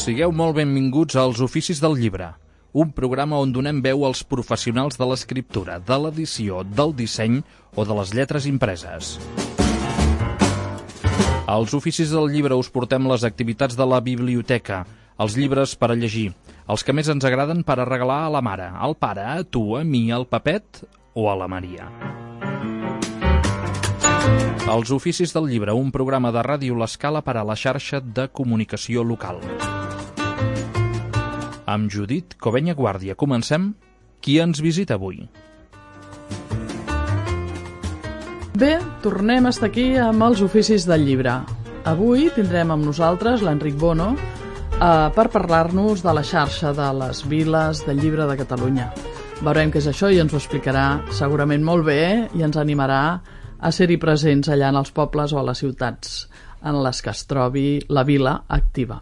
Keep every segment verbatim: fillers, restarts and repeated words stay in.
Sigueu molt benvinguts als Oficis del Llibre, un programa on donem veu als professionals de l'escriptura, de l'edició, del disseny o de les lletres impreses. Als Oficis del Llibre us portem les activitats de la biblioteca, els llibres per a llegir, els que més ens agraden per a regalar a la mare, al pare, a tu, a mi, al Pepet o a la Maria. Els Oficis del Llibre, un programa de Ràdio L'Escala per a la xarxa de comunicació local. Amb Judit Covenya Guàrdia. Comencem. Qui ens visita avui? Bé, tornem a estar aquí amb els Oficis del Llibre. Avui tindrem amb nosaltres l'Enric Bono eh, per parlar-nos de la xarxa de les viles del llibre de Catalunya. Veurem què és això i ens ho explicarà segurament molt bé i ens animarà a ser-hi presents allà en els pobles o a les ciutats en les que es trobi la vila activa.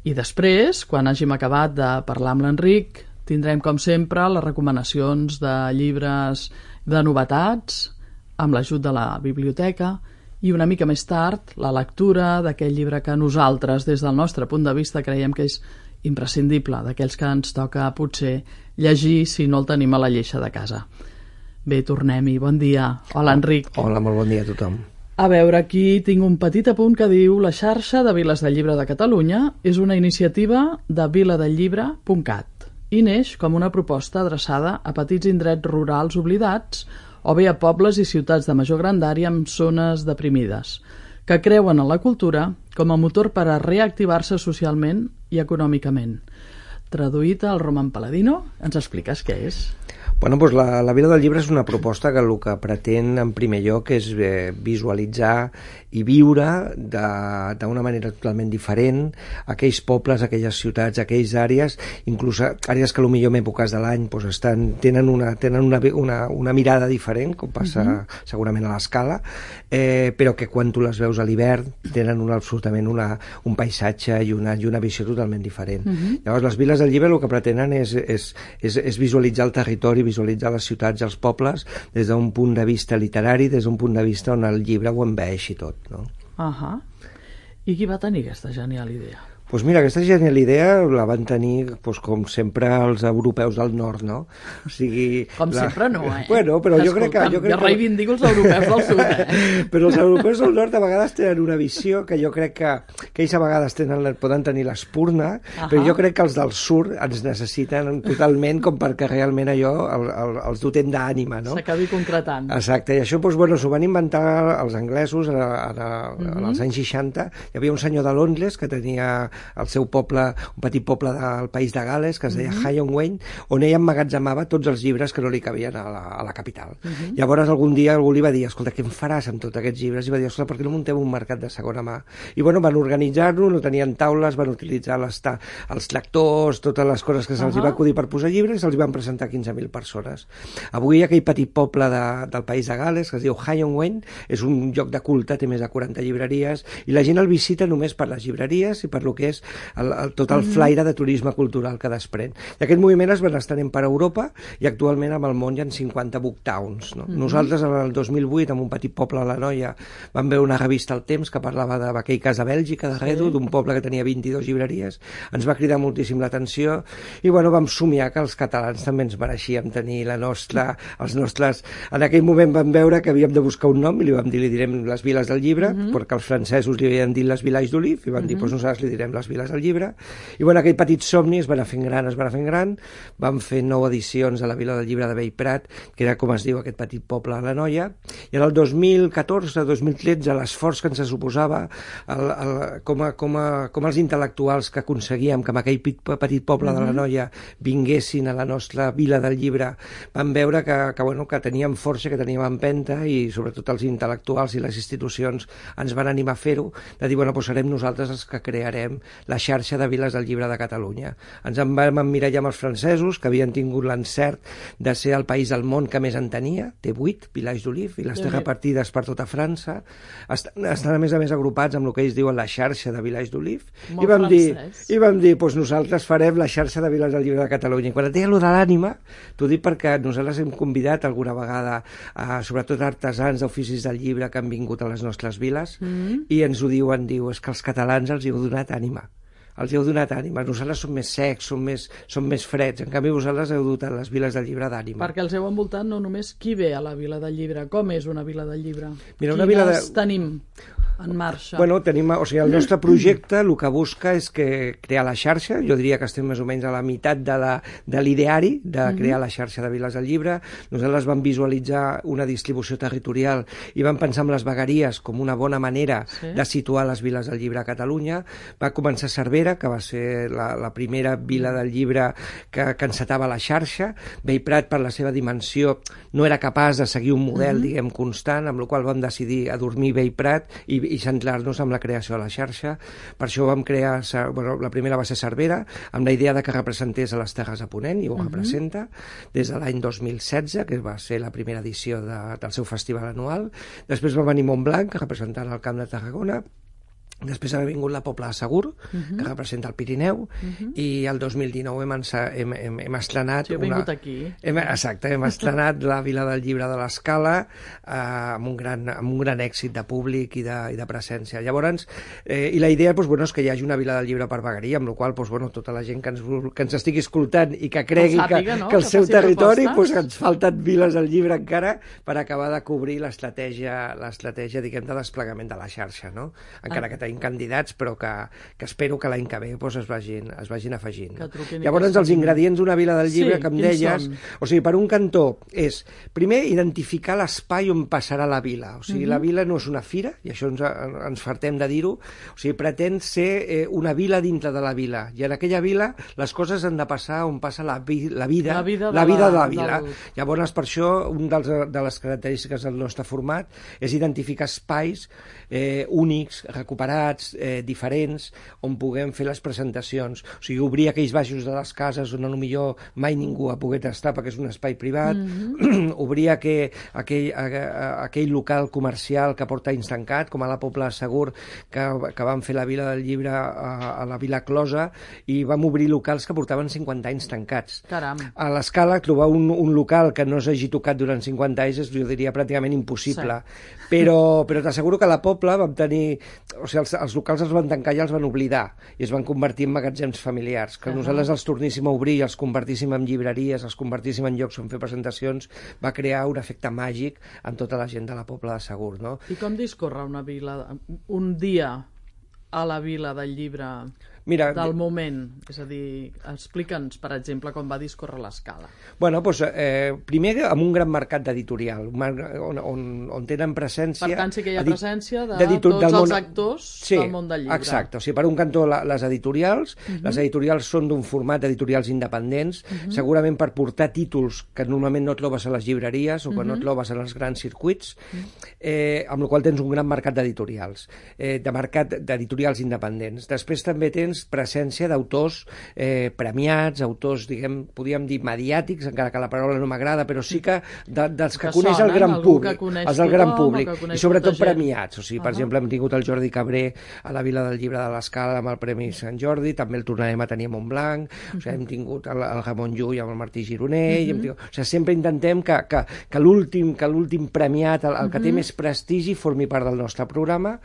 I després, quan hàgim acabat de parlar amb l'Enric, tindrem, com sempre, les recomanacions de llibres de novetats, amb l'ajut de la biblioteca, i una mica més tard, la lectura d'aquell llibre que nosaltres, des del nostre punt de vista, creiem que és imprescindible, d'aquells que ens toca, potser, llegir si no el tenim a la lleixa de casa. Bé, tornem-hi. Bon dia. Hola, Enric. Hola, molt bon dia a tothom. A veure, aquí tinc un petit apunt que diu: la xarxa de Viles del Llibre de Catalunya és una iniciativa de viladelllibre punt cat i neix com una proposta adreçada a petits indrets rurals oblidats o bé a pobles i ciutats de major grandària amb zones deprimides, que creuen en la cultura com a motor per a reactivar-se socialment i econòmicament. Traduït al Roman Paladino, ens expliques què és? Bueno, doncs la, la Vila del Llibre és una proposta que el que pretén en primer lloc és eh, visualitzar i viure d'una manera totalment diferent aquells pobles, aquelles ciutats, aquelles àrees, inclús àrees que potser en èpoques de l'any doncs estan, tenen, una, tenen una, una, una mirada diferent, com passa uh-huh. segurament a l'Escala, eh, però que quan tu les veus a l'hivern tenen una, absolutament una, un paisatge i una, i una visió totalment diferent. Uh-huh. Llavors les Viles del Llibre el que pretenen és, és, és, és visualitzar el territori, visualitzar les ciutats i els pobles des d'un punt de vista literari, des d'un punt de vista on el llibre ho envaeixi tot, no? Ahà. I qui va tenir aquesta genial idea? Doncs pues mira, aquesta genial idea la van tenir, pues, com sempre, els europeus del nord, no? O sigui, com la... sempre no, eh? Bueno, però Escolta'm, jo crec que... Jo, crec jo reivindico els europeus del sud, eh? Però els europeus del nord a vegades tenen una visió que jo crec que, que ells a vegades tenen, poden tenir l'espurna, uh-huh. però jo crec que els del sud ens necessiten totalment com perquè realment allò el, el, els dotem d'ànima, no? S'acabi concretant. Exacte, i això, doncs, bueno, s'ho van inventar els anglesos en, en, en, uh-huh. als anys seixanta. Hi havia un senyor de Londres que tenia el seu poble, un petit poble del país de Gales, que es deia uh-huh. Hyonwain, on ell emmagatzemava tots els llibres que no li cabien a la, a la capital. Uh-huh. Llavors algun dia algú li va dir: escolta, què em faràs amb tots aquests llibres? I va dir: escolta, per què no muntem un mercat de segona mà? I bueno, van organitzar-lo, no tenien taules, van utilitzar les ta els lectors, totes les coses que se'ls uh-huh. va acudir per posar llibres, i se'ls van presentar quinze mil persones. Avui aquell petit poble de, del país de Gales, que es diu Hyonwain, és un lloc de culte, té més de quaranta llibreries, i la gent el visita només per les llibreries i per lo que és El, el, tot el flaire de turisme cultural que desprèn. I aquest moviment es va estenent per Europa i actualment amb el món hi ha cinquanta book towns. No? Mm-hmm. Nosaltres el dos mil vuit, en un petit poble a l'Anoia, vam veure una revista al Temps que parlava d'aquell cas a Bèlgica, de Redo, sí. d'un poble que tenia vint-i-dues llibreries. Ens va cridar moltíssim l'atenció i bueno, vam somiar que els catalans també ens mereixíem tenir la nostra, els nostres... En aquell moment vam veure que havíem de buscar un nom i li vam dir, li direm les Viles del Llibre, mm-hmm. perquè els francesos li havien dit les Villages d'Olive i van dir, mm-hmm. doncs nosaltres li direm les Viles del Llibre. I bueno, aquell petit somni es va anar fent gran, es va anar fent gran, vam fer nou edicions a la Vila del Llibre de Bellprat, que era com es diu aquest petit poble a l'Anoia, i en el dos mil catorze dos mil tretze l'esforç que ens suposava el, el, com, a, com, a, com els intel·lectuals que aconseguíem que en aquell petit poble de l'Anoia vinguessin a la nostra Vila del Llibre, vam veure que, que, bueno, que teníem força, que teníem empenta, i sobretot els intel·lectuals i les institucions ens van animar a fer-ho, de dir, bueno, doncs serem nosaltres els que crearem la xarxa de Viles del Llibre de Catalunya. Ens en vam emmirallar amb els francesos, que havien tingut l'encert de ser el país del món que més en tenia, té vuit Villages d'Olive, i les té repartides per tota França. Estan, estan a més a més agrupats amb el que ells diuen la xarxa de Villages d'Olive. I vam dir, i vam dir, doncs nosaltres farem la xarxa de Viles del Llibre de Catalunya. I quan et deia allò de l'ànima, t'ho dic perquè nosaltres hem convidat alguna vegada, a, sobretot artesans d'oficis del llibre que han vingut a les nostres viles, mm-hmm. i ens ho diuen, diu, és que els catalans els hi heu donat ànima. Els heu donat ànima. Nosaltres som més secs, som més, som més freds. En canvi, vosaltres heu dotat les viles del llibre d'ànima. Perquè els heu envoltat no només qui ve a la Vila del Llibre. Com és una Vila del Llibre? Mira, una vila de... tenim en marxa? Bueno, tenim, o sigui, el nostre projecte el que busca és que crear la xarxa. Jo diria que estem més o menys a la meitat de la, de l'ideari de crear la xarxa de viles del llibre. Nosaltres vam visualitzar una distribució territorial i vam pensar en les vegueries com una bona manera sí. de situar les viles del llibre a Catalunya. Va començar a Cervera, que va ser la, la primera vila del llibre que, que encetava la xarxa. Bellprat, per la seva dimensió, no era capaç de seguir un model, mm-hmm. diguem, constant, amb la qual vam decidir adormir Bellprat i, i centrar-nos en la creació de la xarxa. Per això vam crear, bueno, la primera va ser Cervera, amb la idea de que representés a les Terres de Ponent, i ho mm-hmm. representa, des de l'any dos mil setze, que va ser la primera edició de, del seu festival anual. Després va venir Montblanc, representant el Camp de Tarragona. Després ha vingut la Pobla de Segur, uh-huh. que representa el Pirineu, uh-huh. i el dos mil dinou hem, hem, hem, hem estrenat... Sí, he vingut una... aquí. Hem, exacte, hem estrenat la Vila del Llibre de l'Escala eh, amb, un gran, amb un gran èxit de públic i de, i de presència. Llavors, eh, i la idea doncs, bueno, és que hi hagi una Vila del Llibre per vegueria, amb la qual doncs, bueno, tota la gent que ens, que ens estigui escoltant i que cregui sàpiga, que, no? que el que seu territori doncs, ens falten viles del llibre encara per acabar de cobrir l'estratègia, l'estratègia, diguem, de desplegament de la xarxa, no? Encara ah. que tenim candidats, però que, que espero que l'any que ve doncs, es, vagin, es vagin afegint. Llavors, els ingredients d'una vila del llibre, sí, que em deies... Són? O sigui, per un cantó, és, primer, identificar l'espai on passarà la vila. O sigui, uh-huh. la vila no és una fira, i això ens, ens fartem de dir-ho, o sigui, pretén ser eh, una vila dintre de la vila, i en aquella vila les coses han de passar on passa la, vi, la vida, la vida, de, la vida la, de la vila. Del... Llavors, per això, una de les característiques del nostre format és identificar espais eh, únics, recuperats, eh, diferents, on puguem fer les presentacions. O sigui, obrir aquells baixos de les cases on potser mai ningú ha pogut estar perquè és un espai privat, mm-hmm. obrir aquell, aquell, aquell local comercial que porta anys tancat, com a la Pobla de Segur, que, que vam fer la Vila del Llibre a, a la Vila Closa, i vam obrir locals que portaven cinquanta anys tancats. Caram. A l'Escala, trobar un, un local que no s'hagi tocat durant cinquanta anys és, jo diria, pràcticament impossible. Sí. Però, però t'asseguro que a la Pobla vam tenir... O sigui, els, els locals els van tancar i els van oblidar, i es van convertir en magatzems familiars. Que uh-huh. nosaltres els torníssim a obrir i els convertíssim en llibreries, els convertíssim en llocs on fer presentacions, va crear un efecte màgic en tota la gent de la Pobla de Segur, no? I com discorre una vila, un dia a la Vila del Llibre... Mira, del moment, és a dir, explica'ns, per exemple, com va discórrer l'Escala. Bueno, doncs, eh, primer amb un gran mercat d'editorial, on, on, on tenen presència... Per tant, sí que hi ha presència de tots els món... actors sí, del món del llibre. Exacte, o sigui, per un cantó la, les editorials, uh-huh. les editorials són d'un format d'editorials independents, uh-huh. segurament per portar títols que normalment no trobes a les llibreries o que uh-huh. no trobes en els grans circuits, uh-huh. eh, amb la qual tens un gran mercat d'editorials, eh, de mercat d'editorials independents. Després també tens presència d'autors eh, premiats, autors, diguem, podríem dir mediàtics, encara que la paraula no m'agrada, però sí que de, dels que, que coneix sonen, el gran públic, els del gran públic, i sobretot premiats. O sigui, per uh-huh. exemple, hem tingut el Jordi Cabré a la Vila del Llibre de l'Escala amb el Premi Sant Jordi, també el tornarem a tenir a Montblanc, uh-huh. o sigui, hem tingut el, el Ramon Llull amb el Martí Gironell, uh-huh. tingut, o sigui, sempre intentem que, que, que l'últim que l'últim premiat, el, el que uh-huh. té més prestigi, formi part del nostre programa.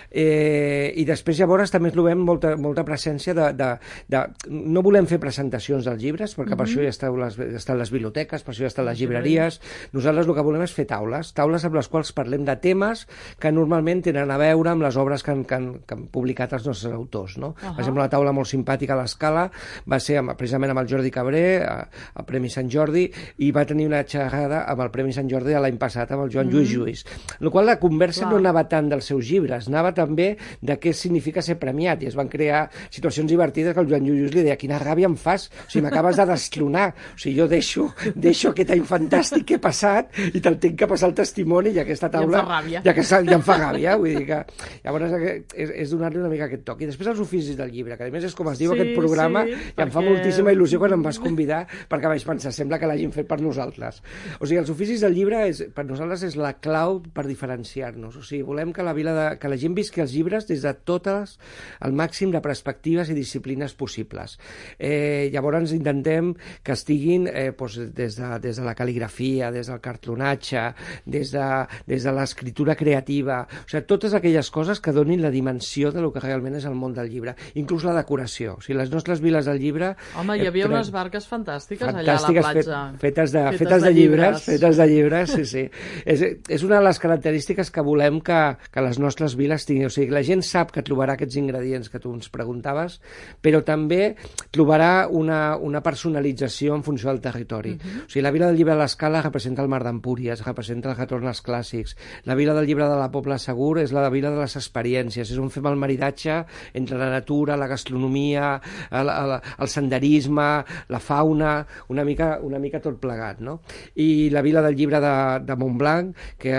Eh, i després llavors també trobem molta, molta presència de, de, de... No volem fer presentacions dels llibres, perquè mm-hmm. per això ja estan les, estan les biblioteques, per això ja estan les llibreries. Nosaltres el que volem és fer taules, taules amb les quals parlem de temes que normalment tenen a veure amb les obres que han, que han, que han publicat els nostres autors, no? Uh-huh. Per exemple, una taula molt simpàtica a l'Escala va ser amb, precisament amb el Jordi Cabré, al Premi Sant Jordi, i va tenir una xerrada amb el Premi Sant Jordi de l'any passat, amb el Joan mm-hmm. Lluís Lluís. En la qual la conversa Clar. no anava tant dels seus llibres, anava també de què significa ser premiat, i es van crear situacions divertides que el Joan Lluís li deia: quina ràbia em fas, o sigui, m'acabes de desclonar, o sigui, jo deixo, deixo aquest any fantàstic que he passat i te'l tinc que passar el testimoni, i aquesta taula... I em fa ràbia. Ja, que, ja em fa ràbia, vull dir que... Llavors és, és donar-li una mica aquest toc. I després els oficis del llibre, que a més és com es diu sí, aquest programa, sí, i em fa moltíssima il·lusió quan em vas convidar, perquè vaig pensar, sembla que l'hagin fet per nosaltres. O sigui, els oficis del llibre és, per nosaltres és la clau per diferenciar-nos. O sigui, volem que la, vila de, que la gent visqui els llibres des de totes, el màxim de perspectives electives i disciplines possibles. Eh, llavors intentem que estiguin eh, doncs, des, de, des de la cal·ligrafia, des del cartronatge, des de, des de l'escriptura creativa, o sigui, totes aquelles coses que donin la dimensió de lo que realment és el món del llibre, inclús la decoració. O sigui, les nostres viles del llibre... Home, hi havia eh, unes barques fantàstiques, fantàstiques allà a la platja. Fet, fetes, de, fetes, fetes de, de llibres, llibres, fetes de llibres, sí, sí. és, és una de les característiques que volem que, que les nostres viles tinguin. O sigui, la gent sap que trobarà aquests ingredients que tu ens preguntaves, però també trobarà una, una personalització en funció del territori. Uh-huh. O sigui, la Vila del Llibre de l'Escala representa el Mar d'Empúries, representa el retorn als clàssics. La Vila del Llibre de la Pobla Segur és la Vila de les experiències, és on fem el maridatge entre la natura, la gastronomia, el, el, el senderisme, la fauna, una mica, una mica tot plegat, no? I la Vila del Llibre de, de Montblanc, que,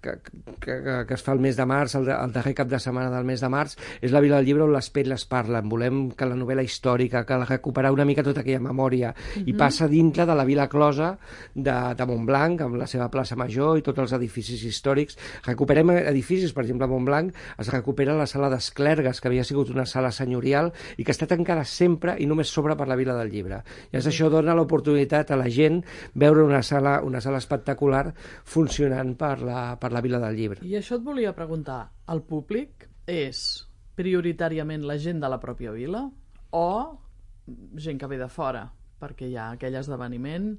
que, que, que es fa el mes de març, el, el darrer cap de setmana del mes de març, és la Vila del Llibre on les petles parlen. Volem que la novel·la històrica, que recuperar una mica tota aquella memòria, uh-huh. i passa dintre de la Vila Closa de, de Montblanc, amb la seva plaça Major i tots els edificis històrics. Recuperem edificis, per exemple, a Montblanc es recupera la sala d'Esclergues, que havia sigut una sala senyorial i que està tancada sempre i només s'obre per la Vila del Llibre. I uh-huh. això dona l'oportunitat a la gent veure una sala, una sala espectacular funcionant per la, per la Vila del Llibre. I això et volia preguntar, el públic és prioritàriament la gent de la pròpia vila o gent que ve de fora, perquè hi ha aquell esdeveniment?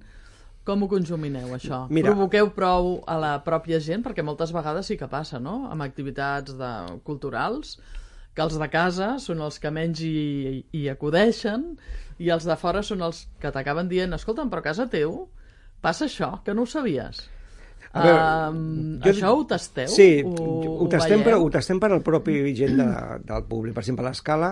Com ho conjumineu, això? Mira, provoqueu prou a la pròpia gent? Perquè moltes vegades sí que passa, no?, amb activitats de, culturals, que els de casa són els que menys hi, hi acudeixen i els de fora són els que t'acaben dient escolta'm, però a casa teu passa això, que no ho sabies. A veure, um, jo... Això ho tasteu? Sí, ho, ho, tastem per, ho tastem per al propi gent de, del públic. Per exemple, a l'Escala,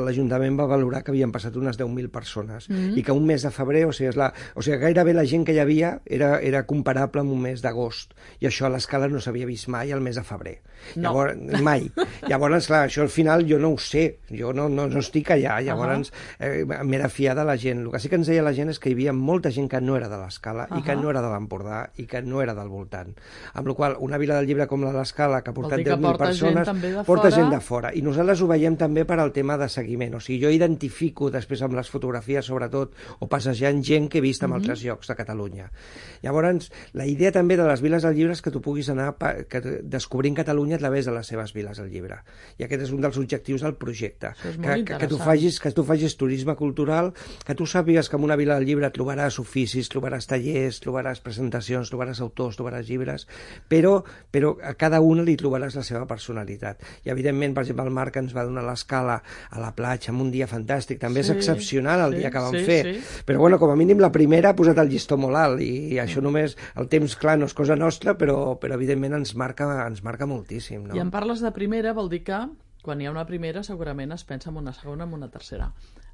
l'Ajuntament va valorar que havien passat unes deu mil persones mm-hmm. i que un mes de febrer, o sigui, és la, o sigui, gairebé la gent que hi havia era, era comparable amb un mes d'agost, i això a l'Escala no s'havia vist mai al mes de febrer. No. Llavors, mai. Llavors, clar, això al final jo no ho sé, jo no, no, no estic allà, llavors uh-huh. eh, m'he de fiar de la gent. El que sí que ens deia la gent és que hi havia molta gent que no era de l'Escala uh-huh. i que no era de l'Empordà i que no era del voltant. Amb la qual una vila del llibre com la de l'Escala, que ha portat deu mil persones, gent porta fora. gent de fora. I nosaltres ho veiem també per al tema de seguiment. O sigui, jo identifico després amb les fotografies, sobretot, o passejant gent que he vist en mm-hmm. altres llocs de Catalunya. Llavors, la idea també de les viles del llibre és que tu puguis anar que, descobrint Catalunya a través de les seves viles del llibre. I aquest és un dels objectius del projecte. Que, que, que, tu facis, que tu facis turisme cultural, que tu sàpigues que en una vila del llibre trobaràs oficis, trobaràs tallers, trobaràs presentacions, trobaràs autors, trobaràs llibres, però, però a cada una li trobaràs la seva personalitat. I evidentment, per exemple, el Marc ens va donar l'Escala a la platja en un dia fantàstic, també sí, és excepcional el sí, dia que vam sí, fer, sí. però bueno, com a mínim la primera ha posat el llistó molt alt i, i això mm. només, el temps clar no és cosa nostra, però, però evidentment ens marca, ens marca moltíssim. No? I en parles de primera, vol dir que quan hi ha una primera segurament es pensa en una segona, en una tercera.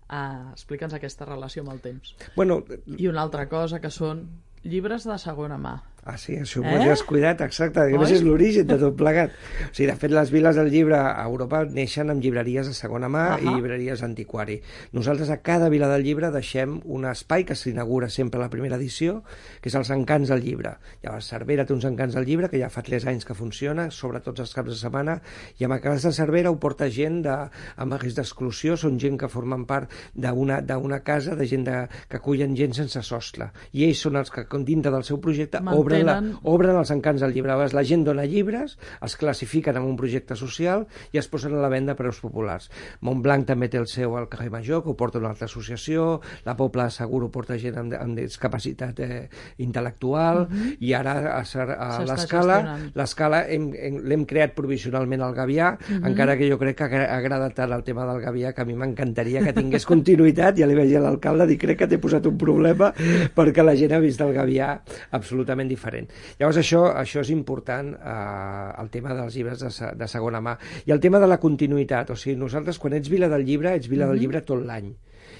Uh, Explica'ns aquesta relació amb el temps. Bueno, i una altra cosa que són llibres de segona mà. Ah, sí, això ho eh? has cuidat, exacte. A més, és l'origen de tot plegat. O sigui, de fet, les viles del llibre a Europa neixen amb llibreries de segona mà uh-huh. i llibreries d'antiquari. Nosaltres a cada vila del llibre deixem un espai que s'inaugura sempre a la primera edició, que és els encants del llibre. Llavors, Cervera té uns encants del llibre, que ja fa tres anys que funciona, sobre tots els caps de setmana, i amb encants de Cervera ho porta gent de, amb risc d'exclusió, són gent que formen part d'una d'una casa, de gent de, que acullen gent sense sostre. I ells són els que, dintre del seu projecte, obren La, obren els encants del llibre. La gent dona llibres, els classifiquen en un projecte social i es posen a la venda a preus populars. Montblanc també té el seu al carrer Major, que ho porta una altra associació, la Pobla Segur ho porta gent amb, amb discapacitat eh, intel·lectual, uh-huh. i ara a, a l'Escala l'Escala l'hem creat provisionalment al Gavià, uh-huh. encara que jo crec que ha agradat tant el tema del Gavià que a mi m'encantaria que tingués continuïtat. Ja li vaig dir a l'alcalde, dic, crec que t'he posat un problema perquè la gent ha vist el Gavià absolutament diferent. Llavors això, això és important, eh, el tema dels llibres de, de segona mà. I el tema de la continuïtat, o sigui, nosaltres quan ets vila del llibre, ets vila mm-hmm. del llibre tot l'any.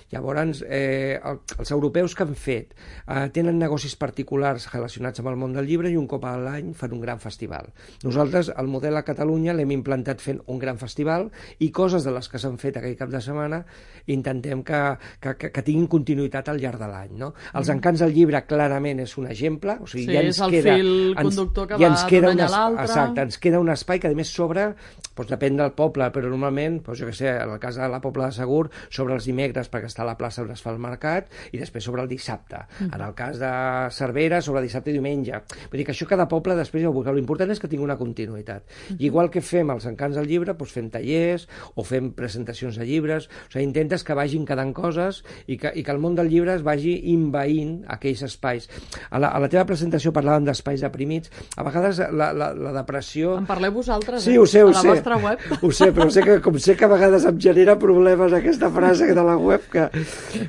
Llavors, eh, els europeus que han fet eh, tenen negocis particulars relacionats amb el món del llibre i un cop a l'any fan un gran festival. Nosaltres, el model a Catalunya l'hem implantat fent un gran festival i coses de les que s'han fet aquell cap de setmana intentem que, que, que, que tinguin continuïtat al llarg de l'any. No? Els encants del llibre clarament és un exemple, o sigui, sí, ja ens és el queda, fil ens, conductor que ja va d'una a l'altre. Exacte, ens queda un espai que a més s'obre doncs depèn del poble, però normalment, doncs jo què sé, en el cas de la Pobla de Segur, sobre els dimecres, perquè està a la plaça on es fa el mercat, i després sobre el dissabte. Mm. En el cas de Cervera, sobre dissabte i diumenge. Vull dir que això cada poble després ja ho busca. L'important és que tingui una continuïtat. Mm. I igual que fem els encants del llibre, doncs fem tallers o fem presentacions de llibres, o sigui, intentes que vagin quedant coses i que, i que el món del llibre es vagi invaint aquells espais. A la, a la teva presentació parlàvem d'espais deprimits. A vegades la, la, la depressió... En parleu vosaltres, sí, eh? Ho sé, ho a la sé. vostra web. Ho sé, però sé que, com sé que a vegades em genera problemes aquesta frase de la web que...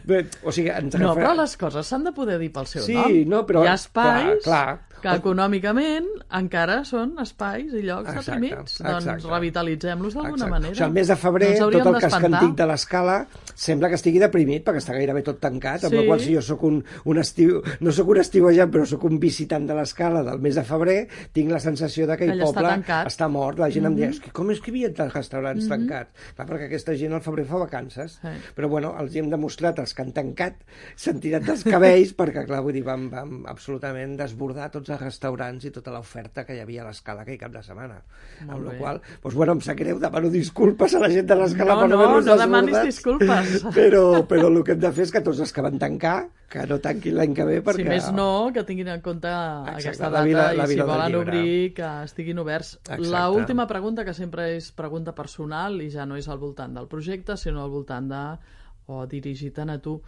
Bé, o sigui, ens no, agafem... però les coses s'han de poder dir pel seu sí, nom. No, però... Hi ha espais... Clar, clar. que econòmicament encara són espais i llocs Exacte, deprimits. Doncs exacte. revitalitzem-los d'alguna manera. O sigui, el mes de febrer, no tot el casc antic de l'Escala sembla que estigui deprimit, perquè està gairebé tot tancat, amb sí. la qual si jo soc un, un estiu, no sóc un estiuejant, però sóc un visitant de l'Escala del mes de febrer, tinc la sensació de que aquell poble està, està mort. La gent mm -hmm. em diu, com és que hi havia tants restaurants mm -hmm. tancats? Clar, perquè aquesta gent al febrer fa vacances. Sí. Però bueno, els hi hem demostrat, els que han tancat, s'han tirat dels cabells, perquè clar, vull dir, vam, vam absolutament desbordar tots els restaurants i tota l'oferta que hi havia a l'Escala aquell cap de setmana. Molt amb la qual cosa, doncs, bueno, em sap greu, demano disculpes a la gent de l'Escala no, per no haver-nos no, no desbordat. demanis disculpes. Però, però el que hem de fer és que tots els que van tancar, que no tanquin l'any que ve, perquè... Si més no, que tinguin en compte Exacte, aquesta data vila, la i si volen llibre. obrir, que estiguin oberts. Exacte. La última pregunta, que sempre és pregunta personal i ja no és al voltant del projecte, sinó al voltant de... o dirigit a tu.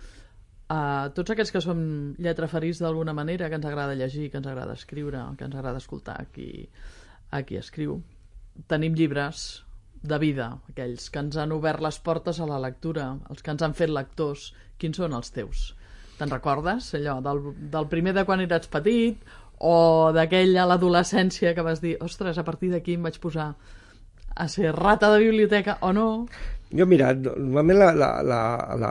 Uh, tots aquests que som lletraferits d'alguna manera, que ens agrada llegir, que ens agrada escriure, que ens agrada escoltar a qui, a qui escriu, tenim llibres de vida, aquells que ens han obert les portes a la lectura, els que ens han fet lectors. Quins són els teus? Te'n recordes, allò, del, del primer de quan eres petit o d'aquell a l'adolescència que vas dir, ostres, a partir d'aquí em vaig posar a ser rata de biblioteca o no? Jo, mira, normalment la, la, la, la,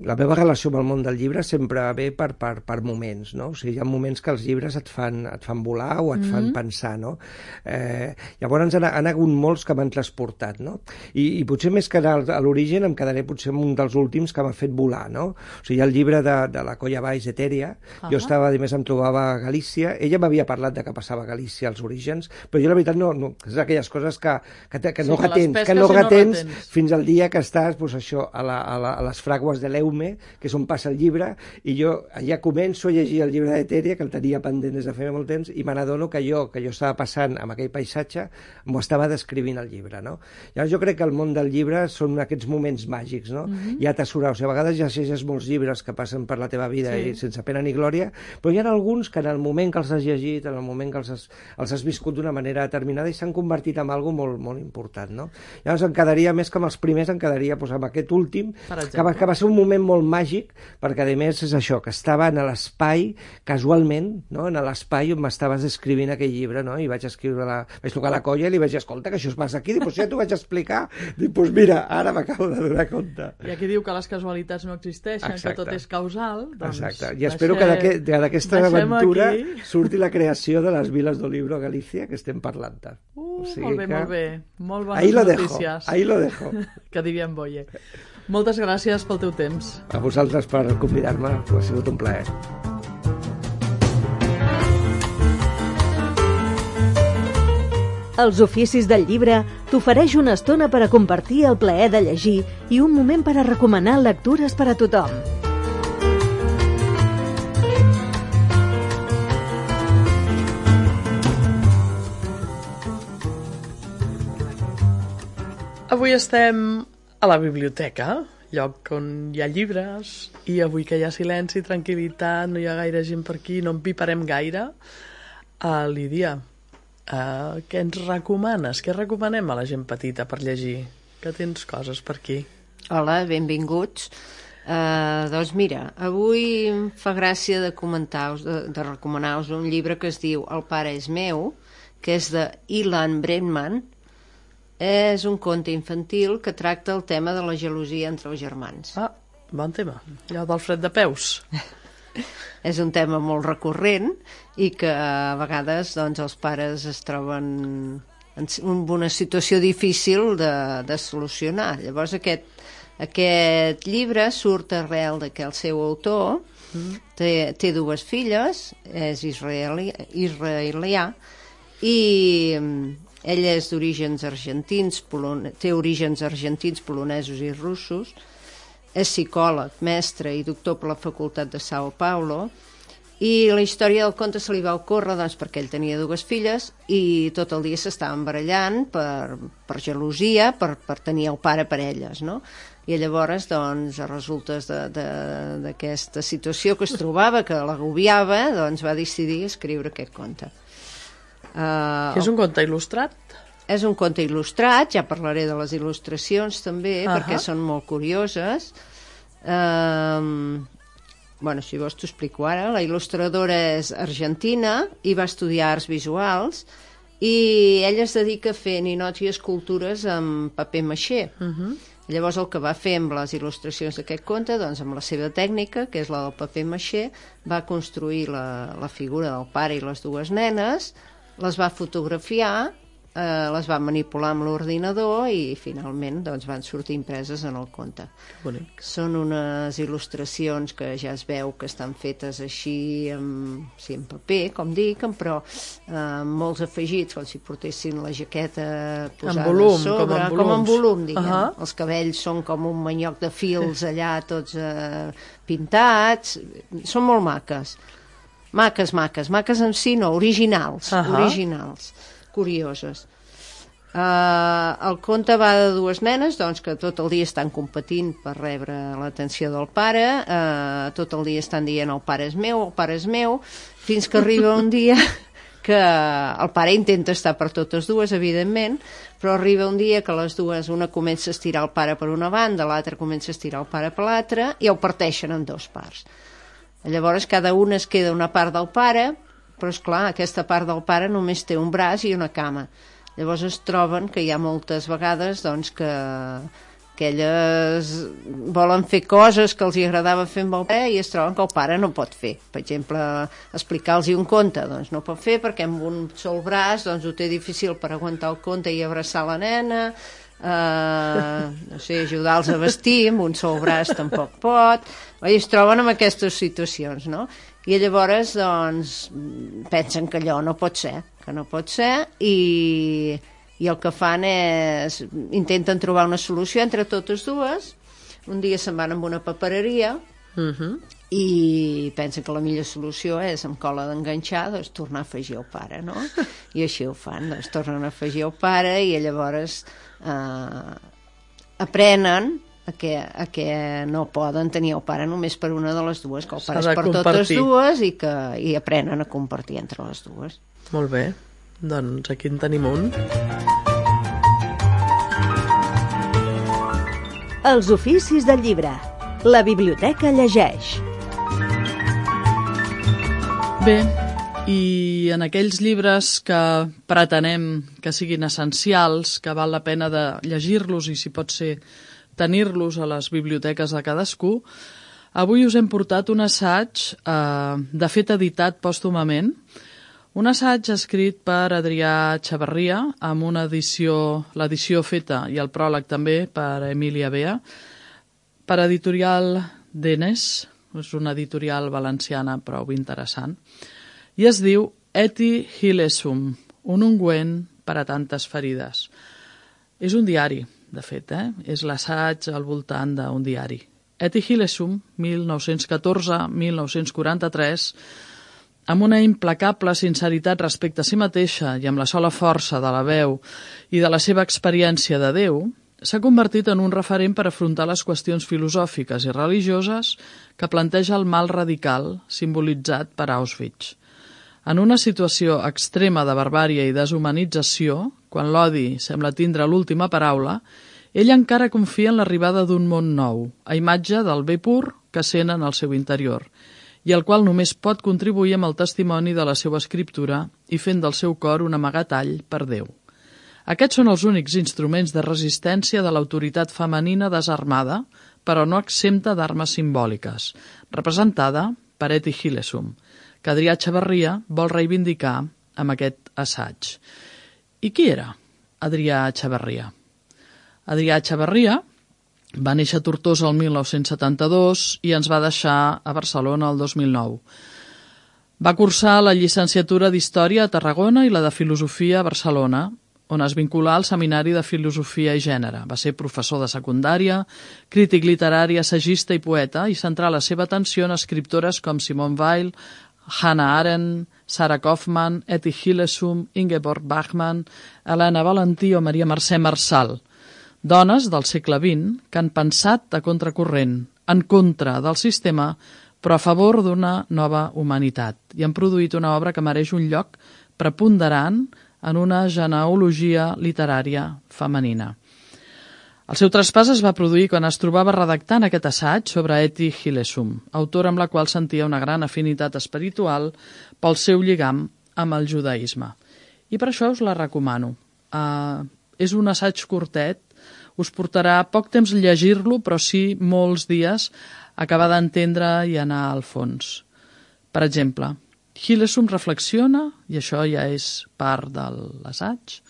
la meva relació amb el món del llibre sempre ve per, per, per moments, no? O sigui, hi ha moments que els llibres et fan, et fan volar o et mm-hmm. fan pensar, no? Eh, llavors han, han hagut molts que m'han transportat, no? I, i potser més que a l'origen em quedaré potser amb un dels últims que m'ha fet volar, no? O sigui, hi ha el llibre de, de la Colla Baix Etèria, uh-huh. jo estava, a més, em trobava a Galícia, ella m'havia parlat de que passava a Galícia als orígens, però jo la veritat no, no és d'aquelles coses que, que, que, que sí, no retens, que no retens, no retens fins al dia que estàs, doncs això, a, la, a, la, a les fragües de l'Eume, que és on passa el llibre, i jo ja començo a llegir el llibre d'Etèria, que el tenia pendent des de feia molt temps, i me n'adono que jo, que jo estava passant amb aquell paisatge, m'ho estava descrivint el llibre, no? Llavors jo crec que el món del llibre són aquests moments màgics, no? Mm-hmm. Hi ha atessorar, o sigui, a vegades ja llegeixes molts llibres que passen per la teva vida sí. i sense pena ni glòria, però hi ha alguns que en el moment que els has llegit, en el moment que els has, els has viscut d'una manera determinada i s'han convertit en algo molt, molt important, no? Llavors em quedaria, més que amb els primers, em quedaria doncs, amb aquest últim, que va, que va ser un moment molt màgic, perquè a més és això, que estava en l'espai, casualment, no? En l'espai on m'estaves escrivint aquell llibre, no? I vaig escriure la... vaig tocar la colla i li vaig dir, escolta, que això es passa aquí, dic, doncs ja t'ho vaig explicar, dic, doncs mira, ara m'acabo de donar compte. I aquí diu que les casualitats no existeixen, exacte. Que tot és causal, doncs... Exacte, i espero deixem... que d'aquesta aventura aquí. Surti la creació de les viles d'Olibro a Galícia, que estem parlant-te. Uh, o sigui molt bé, que... molt bé, molt bones ahí lo notícies. Dejo, ahí lo dejo. Que diria en Boye. Moltes gràcies pel teu temps. A vosaltres per convidar-me, ha sigut un plaer. Els oficis del llibre t'ofereix una estona per a compartir el plaer de llegir i un moment per a recomanar lectures per a tothom. Avui estem a la biblioteca, lloc on hi ha llibres, i avui que hi ha silenci, tranquil·litat, no hi ha gaire gent per aquí, no en piparem gaire. Uh, Lídia, uh, què ens recomanes? Què recomanem a la gent petita per llegir? Que tens coses per aquí. Hola, benvinguts. Uh, doncs mira, avui em fa gràcia de comentar-vos, de, de recomanar-vos un llibre que es diu El pare és meu, que és de Ilan Brenman. És un conte infantil que tracta el tema de la gelosia entre els germans. Ah, bon tema. Allò del fred de peus. És un tema molt recurrent i que a vegades doncs, els pares es troben en una situació difícil de, de solucionar. Llavors aquest, aquest llibre surt arrel de que el seu autor mm. té, té dues filles, és israeli, israelià, i Ell és d'orígens argentins, polone... té orígens argentins, polonesos i russos, és psicòleg, mestre i doctor per la Facultat de Sao Paulo, i la història del conte se li va ocórrer doncs, perquè ell tenia dues filles i tot el dia s'estaven barallant per, per gelosia, per, per tenir el pare per elles, no? I llavors, doncs, a resultes d'aquesta situació que es trobava, que l'agobiava, doncs va decidir escriure aquest conte. Uh, és un conte il·lustrat? És un conte il·lustrat, ja parlaré de les il·lustracions també, uh-huh. perquè són molt curioses. Uh, bueno, si vols t'ho explico ara. La il·lustradora és argentina i va estudiar arts visuals i ella es dedica a fer ninots i escultures amb paper maixé. Uh-huh. Llavors el que va fer amb les il·lustracions d'aquest conte, doncs amb la seva tècnica, que és la del paper maixé, va construir la, la figura del pare i les dues nenes, les va fotografiar, eh, les va manipular amb l'ordinador i finalment doncs, van sortir impreses en el conte. Bonic. Són unes il·lustracions que ja es veu que estan fetes així amb, sí, amb paper, com dic, però eh, amb molts afegits, com si portessin la jaqueta posada en volum, a sobre, com en, com en volum, diguem. Uh -huh. Els cabells són com un manyoc de fils allà, tots eh, pintats, són molt maques. Maques, maques, maques en si no, originals, uh -huh. originals, curioses. Uh, el conte va de dues nenes doncs, que tot el dia estan competint per rebre l'atenció del pare, uh, tot el dia estan dient el pare és meu, el pare és meu, fins que arriba un dia que el pare intenta estar per totes dues, evidentment, però arriba un dia que les dues, una comença a estirar el pare per una banda, l'altra comença a estirar el pare per l'altra i el parteixen en dos parts. Llavors cada una es queda una part del pare, però és clar, aquesta part del pare només té un braç i una cama. Llavors es troben que hi ha moltes vegades doncs, que, que elles volen fer coses que els agradava fer amb el pare i es troben que el pare no pot fer. Per exemple, explicar-los un conte, doncs no pot fer perquè amb un sol braç doncs, ho té difícil per aguantar el conte i abraçar la nena, uh, no sé, ajudar-los a vestir, amb un sol braç tampoc pot. I es troben en aquestes situacions, no? I llavors, doncs, pensen que allò no pot ser, que no pot ser, i, i el que fan és, intenten trobar una solució entre totes dues. Un dia se'n van amb una papereria uh-huh. i pensen que la millor solució és, amb cola d'enganxar, doncs, tornar a afegir el pare, no? I així ho fan, doncs, tornen a afegir el pare i llavors eh, aprenen a que, a que no poden tenir el pare només per una de les dues, que el pare és per compartir. Totes dues i que i aprenen a compartir entre les dues. Molt bé, doncs aquí en tenim un. Els oficis del llibre. La biblioteca llegeix. Bé, i en aquells llibres que pretenem que siguin essencials, que val la pena de llegir-los i si pot ser tenir-los a les biblioteques de cadascú, avui us hem portat un assaig, eh, de fet editat pòstumament, un assaig escrit per Adrià Chavarria, amb una edició, l'edició feta i el pròleg també per Emília Bea, per editorial Denes, és una editorial valenciana prou interessant, i es diu Eti Hilesum, un ungüent per a tantes ferides. És un diari, de fet, eh? És l'assaig al voltant d'un diari. Eti Hilesum, mil nou-cents catorze a mil nou-cents quaranta-tres, amb una implacable sinceritat respecte a si mateixa i amb la sola força de la veu i de la seva experiència de Déu, s'ha convertit en un referent per afrontar les qüestions filosòfiques i religioses que planteja el mal radical simbolitzat per Auschwitz. En una situació extrema de barbària i deshumanització, quan l'odi sembla tindre l'última paraula, ell encara confia en l'arribada d'un món nou, a imatge del bé pur que sent en el seu interior, i el qual només pot contribuir amb el testimoni de la seva escriptura i fent del seu cor un amagatall per Déu. Aquests són els únics instruments de resistència de l'autoritat femenina desarmada, però no exempta d'armes simbòliques, representada per Eti Hilesum, que Adrià Chavarria vol reivindicar amb aquest assaig. I qui era Adrià Chavarria? Adrià Chavarria va néixer a Tortosa el mil nou-cents setanta-dos i ens va deixar a Barcelona el dos mil nou. Va cursar la llicenciatura d'Història a Tarragona i la de Filosofia a Barcelona, on es vinculà al Seminari de Filosofia i Gènere. Va ser professor de secundària, crític literari, assagista i poeta, i centrà la seva atenció en escriptores com Simone Weil, Hannah Arendt, Sarah Kaufmann, Etty Hillesum, Ingeborg Bachmann, Helena Valentí o Maria Mercè Marçal. Dones del segle vint que han pensat a contracorrent, en contra del sistema, però a favor d'una nova humanitat, i han produït una obra que mereix un lloc preponderant en una genealogia literària femenina. El seu traspàs es va produir quan es trobava redactant aquest assaig sobre Etty Hillesum, autora amb la qual sentia una gran afinitat espiritual pel seu lligam amb el judaïsme. I per això us la recomano. Uh, és un assaig curtet, us portarà poc temps llegir-lo, però sí molts dies acabar d'entendre i anar al fons. Per exemple, Hillesum reflexiona, i això ja és part de l'assaig,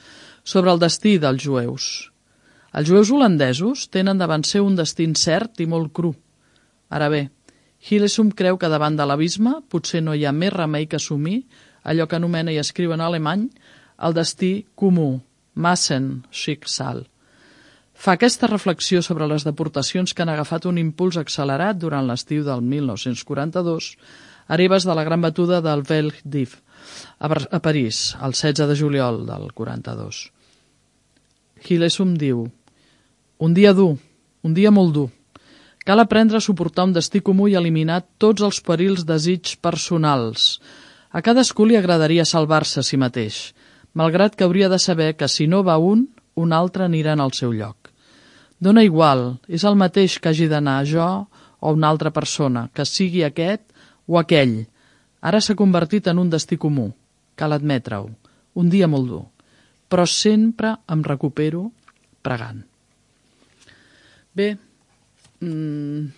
sobre el destí dels jueus. Els jueus holandesos tenen davant seu un destí incert i molt cru. Ara bé, Hillesum creu que davant de l'abisme potser no hi ha més remei que assumir allò que anomena i escriu en alemany el destí comú, Massenschicksal. Fa aquesta reflexió sobre les deportacions que han agafat un impuls accelerat durant l'estiu del mil nou-cents quaranta-dos a ribes de la gran batuda del Vel d'Hiv a París, el setze de juliol del quaranta-dos. Hillesum diu: un dia dur, un dia molt dur. Cal aprendre a suportar un destí comú i eliminar tots els perills desig personals. A cadascú li agradaria salvar-se a si mateix, malgrat que hauria de saber que si no va un, un altre anirà en el seu lloc. Dóna igual, és el mateix que hagi d'anar jo o una altra persona, que sigui aquest o aquell. Ara s'ha convertit en un destí comú, cal admetre-ho, un dia molt dur, però sempre em recupero pregant. Bé, mmm,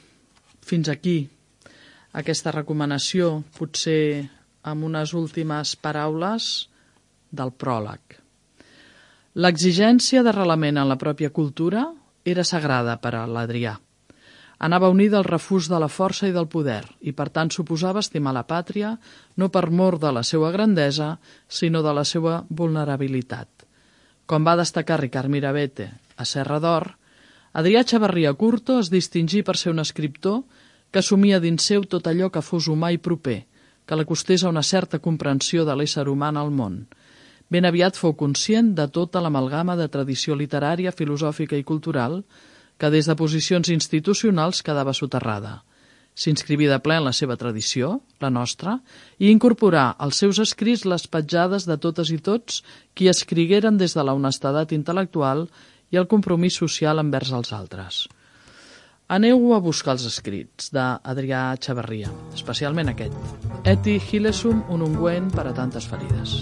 fins aquí aquesta recomanació, potser amb unes últimes paraules del pròleg. L'exigència d'arrelament en la pròpia cultura era sagrada per a l'Adrià. Anava unida al refús de la força i del poder, i per tant suposava estimar la pàtria no per mor de la seva grandesa, sinó de la seva vulnerabilitat. Com va destacar Ricard Mirabete a Serra d'Or, Adrià Chavarria Curto es distingí per ser un escriptor que assumia dins seu tot allò que fos humà i proper, que l'acostés a una certa comprensió de l'ésser humà en el món. Ben aviat fou conscient de tota l'amalgama de tradició literària, filosòfica i cultural que des de posicions institucionals quedava soterrada. S'inscriví de ple en la seva tradició, la nostra, i incorporà als seus escrits les petjades de totes i tots qui escrigueren des de la honestedat intel·lectual i el compromís social envers els altres. Aneu a buscar els escrits d'Adrià Chavarria, especialment aquest. Etty Hillesum, un ungüent per a tantes ferides.